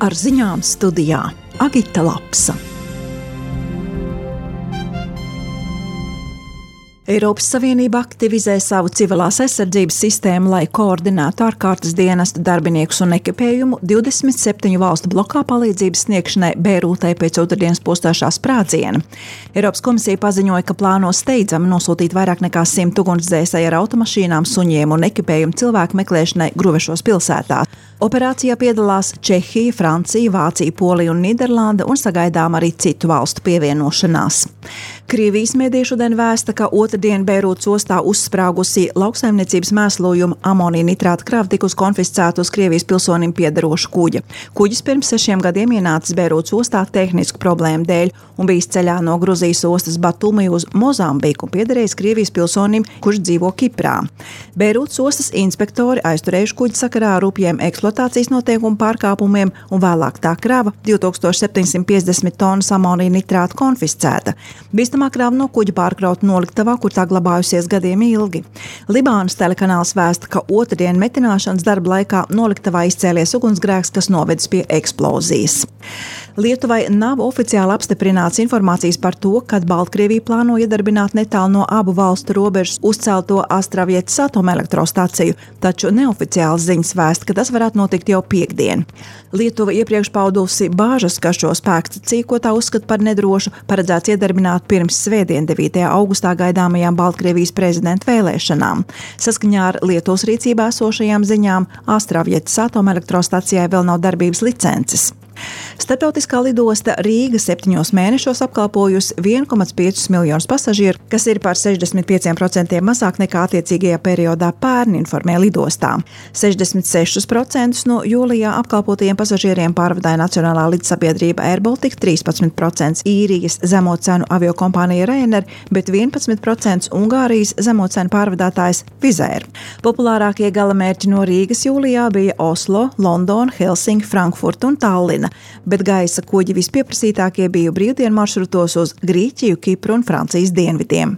Ar ziņām studijā Agita Lapsa. Eiropas Savienība aktivizē savu civilās aizsardzības sistēmu, lai koordinētu ārkārtas dienesta darbiniekus un ekipējumu 27 valstu blokā palīdzības sniegšanai Beirūtai pēc otrdienas postošā sprādziena. Eiropas komisija paziņoja, ka plāno steidzami nosūtīt vairāk nekā 100 ugunsdzēsēju ar automašīnām, suņiem un ekipējumu cilvēku meklēšanai Gruvešos pilsētā. Operācijā piedalās Čehija, Francija, Vācija, Polija un Nīderlanda un sagaidām arī citu valstu pievienošanās. Krievijas mēdīja šodien vēsta, ka otrdien Beirūtas ostā uzsprāgusi lauksaimniecības mēslojuma amonija nitrāta krava tikus konfiscēta uz Krievijas pilsonim piederošu kuģa. Kuģis pirms 6 gadiem ienācis Beirūtas ostā tehnisku problēmu dēļ un bijis ceļā no Gruzijas ostas Batumi uz Mozambiku, piederējis Krievijas pilsonim, kurš dzīvo Kiprā. Beirūtas ostas inspektori aizturējuši kuģi sakarā ar rupjiem eksploatācijas noteikumu pārkāpumiem un vēlāk tā krava 2750 tonnas amonija nitrāta konfiscēta. Bīstamā krava no kuģa pārkrauta noliktavā, kur tā glabājusies gadiem ilgi. Libānas telekanāls vēsta, ka otrdien metināšanas darba laikā noliktavā izcēlies ugunsgrēks, kas novedis pie eksplozijas. Lietuvai nav oficiāli apstiprināts informācijas par to, kad Baltkrievija plāno iedarbināt netālu no abu valstu robežas uzcelto Astravietas atomelektrostaciju, taču neoficiāls ziņas vēsta, ka tas varētu notikt jau piektdien. Lietuva iepriekš paudusi bāžas, ka šo spēkstaciju, ko tā uzskata par nedrošu, paredzēts iedarbināt pirms svētdien 9. augustā gaidāmajām Baltkrievijas prezidenta vēlēšanām. Saskaņā ar Lietuvas rīcībā esošajām ziņām Astravietas atomelektrostacijai vēl nav darbības licences. Starptautiskā lidosta Rīga 7 mēnešos apkalpojusi 1,5 miljonus pasažieru, kas ir par 65% mazāk nekā attiecīgajā periodā pērn, informē lidostā. 66% no jūlijā apkalpotajiem pasažieriem pārvadāja Nacionālā lidsabiedrība Air Baltica, 13% īrijas zemocenu aviokompānija Ryanair, bet 11% Ungārijas zemocenu pārvadātājs Wizz Air. Populārākie galamērķi no Rīgas jūlijā bija Oslo, Londona, Helsinki, Frankfurta un Tallina, bet gaisa kuģi vispieprasītākie bija brīvdienu maršrutos uz Grieķiju, Kipru un Francijas dienvidiem.